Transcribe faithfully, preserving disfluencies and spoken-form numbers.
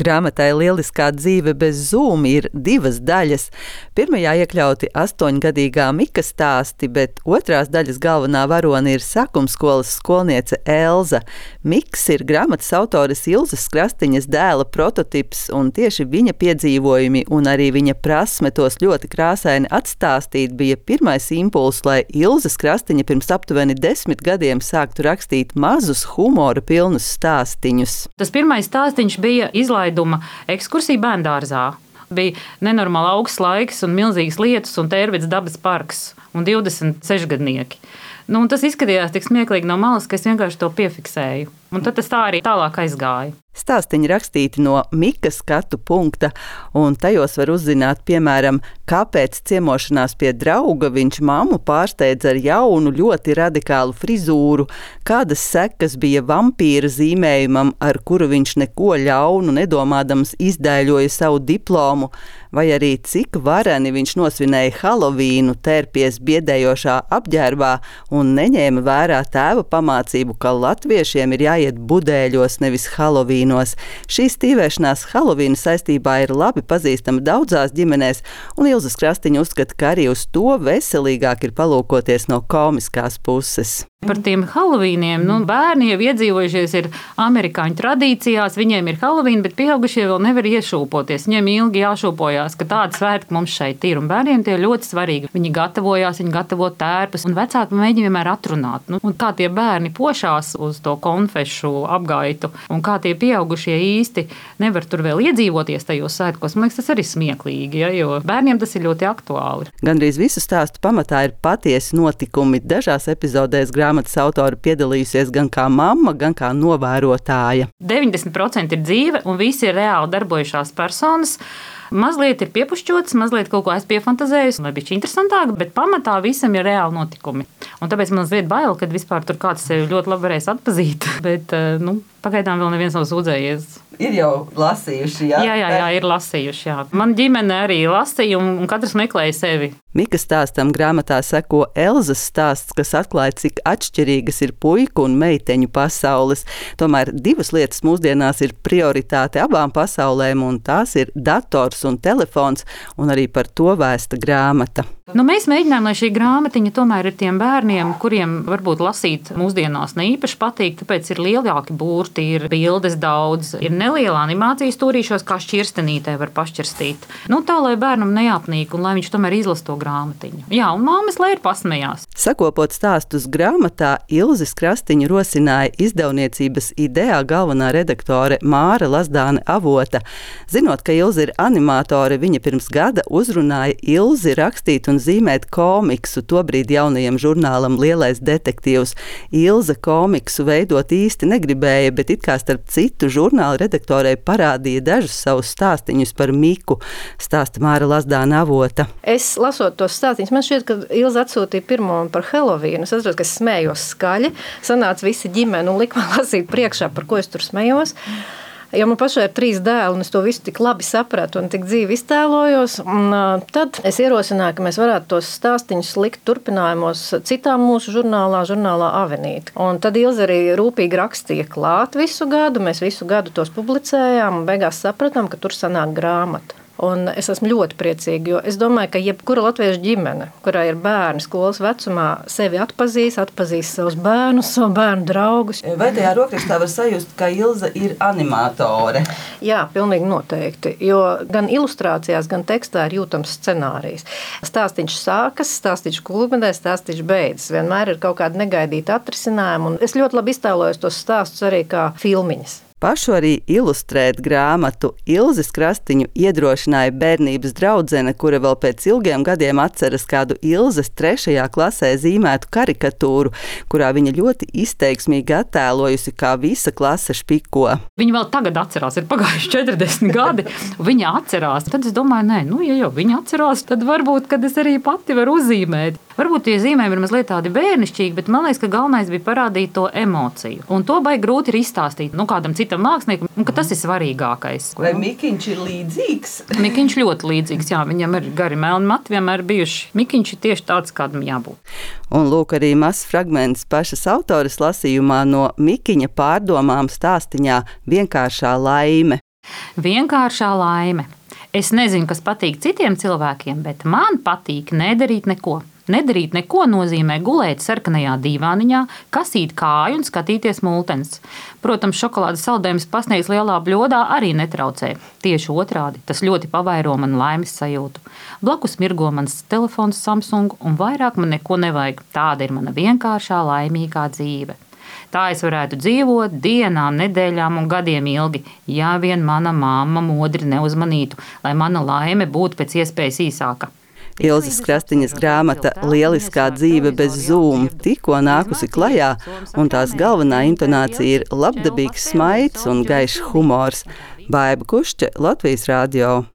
Grāmatai Lieliskā dzīve bez Zoom ir divas daļas. Pirmajā iekļauti astoņgadīgā Mika stāsti, bet otrās daļas galvenā varone ir sākumskolas skolniece Elza. Miks ir grāmatas autores Ilzes Krastiņas dēla prototips, un tieši viņa piedzīvojumi un arī viņa prasme tos ļoti krāsaini atstāstīt bija pirmais impulss, lai Ilzes Krastiņa pirms aptuveni desmit gadiem sāktu rakstīt mazus humora pilnus stāstiņus. Tas pirmais stāstiņš bija izlaiduma ekskursija bērndārzā. Bija nenormāli augsts laiks un milzīgas lietus un Tērvets dabas parks un divdesmit sešgadnieki. Nu, un tas izskatījās tik smieklīgi no malas, ka es vienkārši to piefiksēju. Un tad tas tā arī tālāk aizgāja. Stāstiņi rakstīti no Mika skatu punkta, un tajos var uzzināt, piemēram, kāpēc ciemošanās pie drauga viņš mammu pārsteidza ar jaunu, ļoti radikālu frizūru, kādas sekas bija vampīra zīmējumam, ar kuru viņš neko ļaunu nedomādams izdēļoja savu diplomu, vai arī cik vareni viņš nosvinēja Halovīnu, tērpies biedējošā apģērbā un neņēma vērā tēva pamācību, ka latviešiem ir jāiet budēļos, nevis Halovīnos. Šī stīvēšanās Halovīna saistībā ir labi pazīstama daudzās ģimenēs, un Ilzes Krastiņa uzskata, ka arī uz to veselīgāk ir palūkoties no komiskās puses. Par tiem Halovīniem, nu, bērni jau iedzīvojušies ir amerikāņu tradīcijās, viņiem ir Halovīna, bet pieaugušie vēl nevar iešūpoties. Viņiem ilgi jāšūpojās, ka tāda svētki mums šeit ir, un bērniem tie ir ļoti svarīgi. Viņi gatavojās, viņi gatavo tērpus, un vecāki mēģina vienmēr atrunāt. Nu, un kā tie bērni pošās uz to konfešu apgaitu, un kā tie pieaugušie īsti nevar tur vēl iedzīvoties tajos svētkos, man liekas, tas arī smieklīgi, ja, jo bērniem tas ir ļoti aktuāli. Gandrīz visu stāstu pamatā ir patiesi notikumi. Dažās epizodēs grāmatas autori piedalījusies gan kā mamma, gan kā novērotāja. deviņdesmit procenti ir dzīve, un visi ir reāli darbojušās personas. Mazliet ir piepušķots, mazliet kaut ko es piefantazējusi, lai bija interesantāk, bet pamatā visam ir reāli notikumi. Un tāpēc man mazliet bail, kad vispār tur kāds sevi ļoti labi varēs atpazīt, bet, nu, pagaidām vēl neviens nav sūdzējies. Ir jau lasījuši, jā? Jā, jā, jā, ir lasījuši, jā. Man ģimene arī lasīja, un katrs meklēja sevi. Mika stāstam grāmatā seko Elzas stāsts, kas atklāja, cik atšķirīgas ir puiku un meiteņu pasaules. Tomēr divas lietas mūsdienās ir prioritāte abām pasaulēm, un tās ir dators un telefons, un arī par to vēsta grāmata. Nu, mēs mēģinājām, lai šī grāmatiņa tomēr ir tiem bērniem, kuriem varbūt lasīt mūsdienās ne īpaši patīk, tāpēc ir lielāki burti, ir bildes daudz, ir neliela animācijas stūrīšos, kā šķirstenītē var pašķirstīt. Nu, tā, lai bērnam neapnīk un lai viņš tomēr izlas to grāmatiņu. Jā, un māmas, lai ir pasmējās. Sakopot stāstus grāmatā, Ilzes Krastiņa rosināja izdevniecības Idea galvenā redaktore Māra Lazdāne Avota. Zinot, ka Ilze ir animātore, viņa pirms gada uzrunāja Ilzi rakstīt un zīmēt komiksu, tobrīd jaunajam žurnālam Lielais detektīvs. Ilze komiksu veidot īsti negribēja, bet it kā starp citu žurnāla redaktorei parādīja dažus savus stāstiņus par Miku, stāsta Māra Lazdāne Avota. Es lasot tos stāstiņus, man šķiet, ka Ilze atsūtīja pirmo par Halovīnu. Es atceros, ka es smējos skaļi, sanāca visi ģimeni un lika man lasīt priekšā, par ko es tur smējos. Jo man pašai ir trīs dēli, un es to visu tik labi sapratu un tik dzīvi iztēlojos. Un, uh, tad es ierosināju, ka mēs varētu tos stāstiņus likt turpinājumos citā mūsu žurnālā, žurnālā Avenīte. Un tad Ilze arī rūpīgi rakstīja klāt visu gadu, mēs visu gadu tos publicējām un beigās sapratām, ka tur sanāk grāmata. Un es esmu ļoti priecīga, jo es domāju, ka jebkura latviešu ģimene, kurā ir bērni skolas vecumā, sevi atpazīs, atpazīs savus bērnus, savu bērnu draugus. Vai tajā rokrakstā var sajust, ka Ilze ir animātore? Jā, pilnīgi noteikti, jo gan ilustrācijās, gan tekstā ir jūtams scenārijs. Stāstiņš sākas, stāstiņš kulminē, stāstiņš beidzas. Vienmēr ir kaut kāda negaidīta atrisinājuma, un es ļoti labi iztēlojos tos stāstus arī kā filmiņas. Pašu arī ilustrēt grāmatu Ilzes Krastiņu iedrošināja bērnības draudzene, kura vēl pēc ilgiem gadiem atceras kādu Ilzes trešajā klasē zīmētu karikatūru, kurā viņa ļoti izteiksmīgi attēlojusi, kā visa klase špiko. Viņa vēl tagad atcerās, ir pagājuši četrdesmit gadi, viņa atcerās. Tad es domāju, nē, nu, ja jau viņa atcerās, tad varbūt, kad es arī pati varu uzzīmēt. Varbūt tie zīmējumi ir mazliet tādi bērnišķīgi, bet man liekas, ka galvenais bija parādīt to emociju. Un to baigi grūti ir izstāstīt nu, kādam citam māksliniekam, un ka tas ir svarīgākais. Vai Mikiņš ir līdzīgs? Mikiņš ļoti līdzīgs, jā, viņam ir gari melni mati vienmēr bijuši. Mikiņš ir tieši tāds, kādam jābūt. Un lūk arī mazs fragments pašas autores lasījumā no Mikiņa pārdomām stāstiņā Vienkāršā laime. Vienkāršā laime. Es nezinu, kas patīk citiem cilvēkiem, bet man patīk nedarīt neko. Nedarīt neko nozīmē gulēt sarkanajā dīvāniņā, kasīt kāju un skatīties multens. Protams, šokolādes saldējums pasniegts lielā bļodā arī netraucē. Tieši otrādi, tas ļoti pavairo man laimes sajūtu. Blakus mirgo mans telefons Samsung un vairāk man neko nevajag. Tāda ir mana vienkāršā laimīgā dzīve. Tā es varētu dzīvot dienām, nedēļām un gadiem ilgi, ja vien mana mamma modri neuzmanītu, lai mana laime būtu pēc iespējas īsāka. Ilzes Krastiņas grāmata Lieliskā dzīve bez Zoom tikko nākusi klajā, un tās galvenā intonācija ir labdabīgs smaids un gaišs humors. Baiba Kušķe, Latvijas radio.